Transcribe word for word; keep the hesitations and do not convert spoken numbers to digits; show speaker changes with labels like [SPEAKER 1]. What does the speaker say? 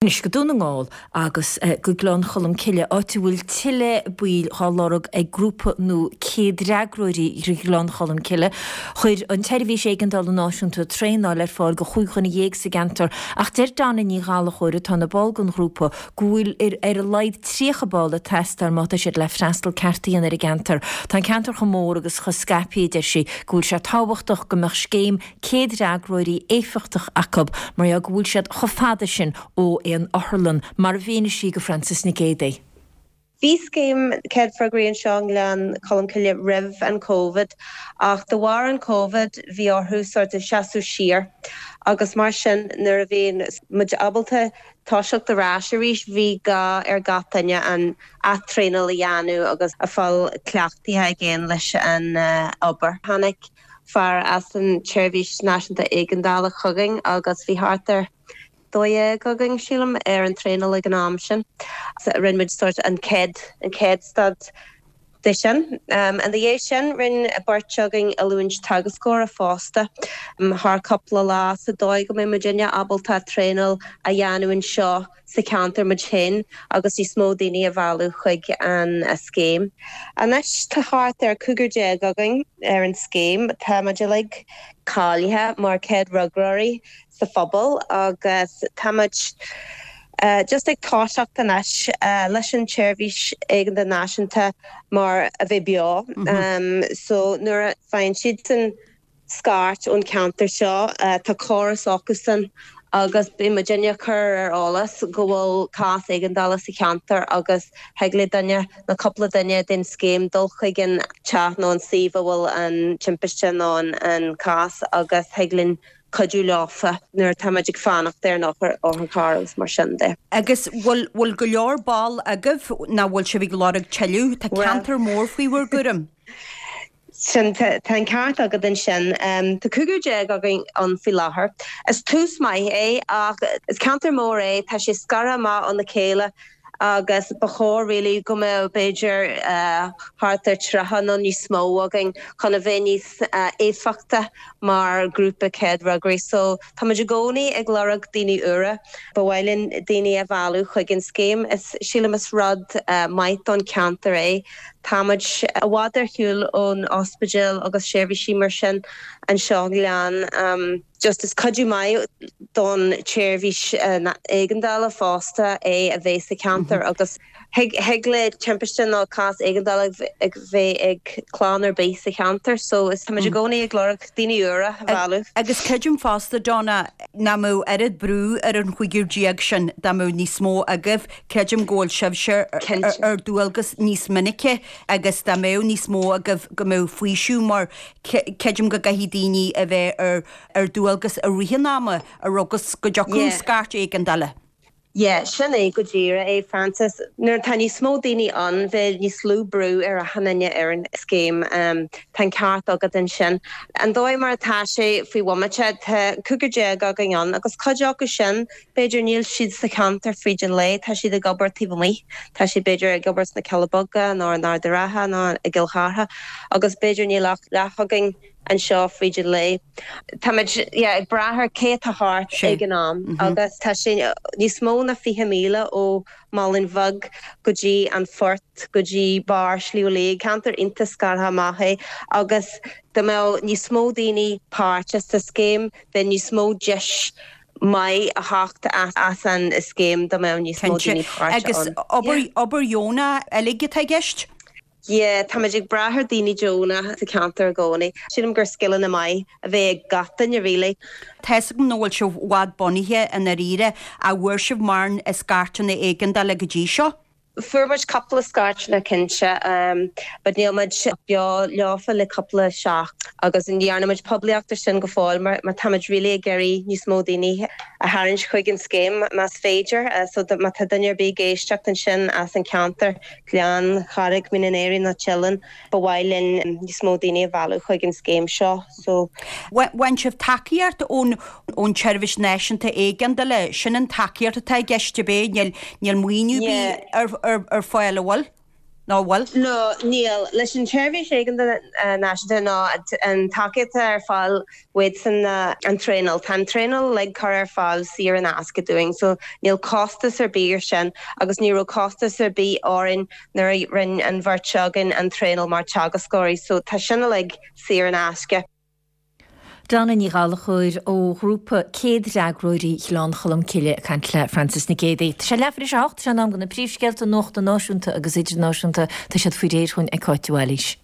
[SPEAKER 1] Anois go Dún na nGall agus go Gleann Cholm Cille, áit a bhfuil tuilleadh baill á lorg ag grúpa nua céadfhreagróirí Ghleann Cholm Cille. Chuir an tSeirbhís Éigeandála Náisiúnta traenáil ar fáil do chúig dhuine dhéag sa gceantar, ach deir Donna Ní Ghallchóir, atá ina ball den ghrúpa, go bhfuil ar ar a laghad tríocha ball ag teastáil má tá siad le freastal ceart a dhéanamh ar an gceantar. Tá an ceantar chomh mór agus chomh scaipthe, deir sí, go bhfuil sé tábhachtach go mbeadh scéim céadfhreagróirí éifeachtach acu mar go bhfuil siad chomh fada sin ó aon otharlann, mar a mhínigh sí do Frances Nic Géadaigh.
[SPEAKER 2] Bhí scéim céadfhreagraí anseo i nGleann Cholm Cille roimh an Covid, ach de bharr an Covid bhí orthu sort of seasamh siar agus mar sin nuair a bhí muid ábalta toiseacht ar ais arís bhí gá ar gach duine an ath-traenáil a dhéanamh agus a fáil cleachtaithe again leis an uh, obair. Tháinig fear as an tSeirbhís Náisiúnta Éigeandála chugainn agus bhí thart ar dó dhéag againn sílim ar an traenáil ag an am sin. Rinne muid sort an chéad an chéad stad de sin. Um, an dhiaidh sin rinne beirt againn oiliúint teagascóra fosta um, thar cúpla lá sa dóigh go mbeidh muidinne ábalta traenáil a dhéanamh anseo sa cheantar muid féin agus níos mó daoine a mhealladh chuig an scéim. Anois tá thart ar cúigear déag againn ar an scéim tá muid uilig cáilithe mar chéadfhreagróirí sa phobal agus táimid uh, just ag toiseacht anois uh, leis an tseirbhís éigeandála náisiúnta mar a bheith beo. Mm -hmm. um, so nuair a faigheann siad san scairt ón ceantar seo uh, tá córas acusan agus beidh muidinne curtha ar eolas go bhfuil cás éigeandála sa cheantar agus thig le duine nó cúpla duine den scéim dul chuig an teach nó an suíomh a bhfuil an timpiste nó an, an cás agus thig linn cuidiú leofa nuair táimid ag fanacht ar an otharcharr agus mar sin de.
[SPEAKER 3] Agus bhfuil bhfuil go leor ball agaibh nó bhfuil sibh ag lorg tuilleadh tá ceantar mór faoi bhur gcúram.
[SPEAKER 2] Sin tá an ceart agat ansin um, Tá cúigear déag againn ann faoi láthair. Is tús maith é ach is ceantar mór é tá sé scartha amach óna chéile agus ba chóir really go mbeadh b'fhéidir uh, thart ar tríocha nó níos mó againn chun a bheith níos uh, éifeachta mar grúpa céadfhreagraí. So táimid i gcónaí ag lorg daoine úra, Ba mhaith linn daoine a mhealladh chuig an scéim is sílim is rud uh, maith don ceantar é. Táimid i bhfad ar shiúl ón ospidéal agus seirbhísí mar sin anseo lean um, just is cuidiú maith don tseirbhís uh, éigeandála fosta é a bheith sa ceantar mm -hmm. agus thig le timpiste nó cás éigeandála ag bheith ag clann ar bith sa cheantar, so is táimid i gcónaí ag lorg daoine úra a mhealladh.
[SPEAKER 3] Agus creidim fosta Donna nach mbeadh oiread brú ar an chúigear déag sin dá mbeadh níos mó agaibh creidim go bhfuil sibhse ar dualgas níos minice agus dá mbeadh níos mó agaibh go mbeadh faoiseamh mar creidim go gcaithfidh daoine a bheith ar ar dualgas i rith an ama a rugus go dtiocfaidh scairt éigeandála.
[SPEAKER 2] Yeah, sin é go díreach é Francis. Nuair tá níos mó daoine ann bheadh níos lú brú ar achan duine ar an scéim um, tá ceart agat ansin. An dóigh mar atá sé faoi bhomaite tá cúigear déag againn ann agus cuid acu sin b'fhéidir níl siad sa cheantar fríd an lae tá siad ag obair taobh amuigh Tá siad b'fhéidir ag obair sna Cealla Beaga nó in Ard an Rátha nó i gCill Chartha agus b'fhéidir níl ach leath againn anseo fríd an lae. Táimid ag brath ar cé atá thart ag an am mm -hmm. agus tá sé níos mó ná fiche míle ó Mhallain Bheag go dtí an Phort go dtí barr Shliabh Liag ceantar iontach scartha amach é agus dá mbeadh níos mó daoine páirteach sa scéim bheadh níos mó deis maith a theacht as an scéim dá mbeadh níos mó daoine
[SPEAKER 3] Agus obair obair dheonach uilig atá i gceist?
[SPEAKER 2] Yeah, táimid ag brath ar daoine deonacha sa cheantar i gcónaí. Sílim gur scileanna maith a bheith ag gach duine really.
[SPEAKER 3] Tá a fhios agam nach bhfuil sibh i bhfad bunaithe in Éirinn an bhfuair sibh mórán scairteanna éigeandála go dtí seo.
[SPEAKER 2] Fuair muid cúpla scairteanna cinnte, um, but níl muid beo leofa le cúpla seachtain agus ní dhearna muid poiblíocht sin go fóill mar, mar táimid really ag iarraidh níos mó daoine a tharraingt chuig an scéim más féidir, uh, so má tá duine ar bith ag éisteacht ansin as an ceantar Gleann Charraig Mín an Aoraigh nó Teileann ba mhaith linn níos mó daoine a mhealladh chuig an scéim seo so
[SPEAKER 3] Bhain sibh tacaíocht ón ón tSeirbhís Náisiúnta Éigeandála sin an tacaíocht atá i gceist ab é níl níl maoiniú ar ar ar fáil an bhfuil? Nó bhfuil?
[SPEAKER 2] No, níl. Leis an tseirbhís éigeandála náisiúnta ná an tacaíocht ar fáil uaidh an traenáil. Tá an traenáil uilig curtha ar fáil saor in aisce dúinn, so níl costas ar bith ar sin agus ní raibh costas ar bith orainn nuair a rinne an bheirt againn an traenáil mar teagascóirí, so tá sin uilig saor in aisce.
[SPEAKER 1] Donna Ní Ghallchóir ó ghrúpa céad-fhreagróirí Ghleann Cholm Cille ag caint le Frances Nic Géadaigh. Tá sé leathuair tar éis a hocht, sé an am do na príomhscéalta nuachta náisiúnta agus idirnáisiúnta, tá siad faoi réir chugainn ag Cáit de Bhailís.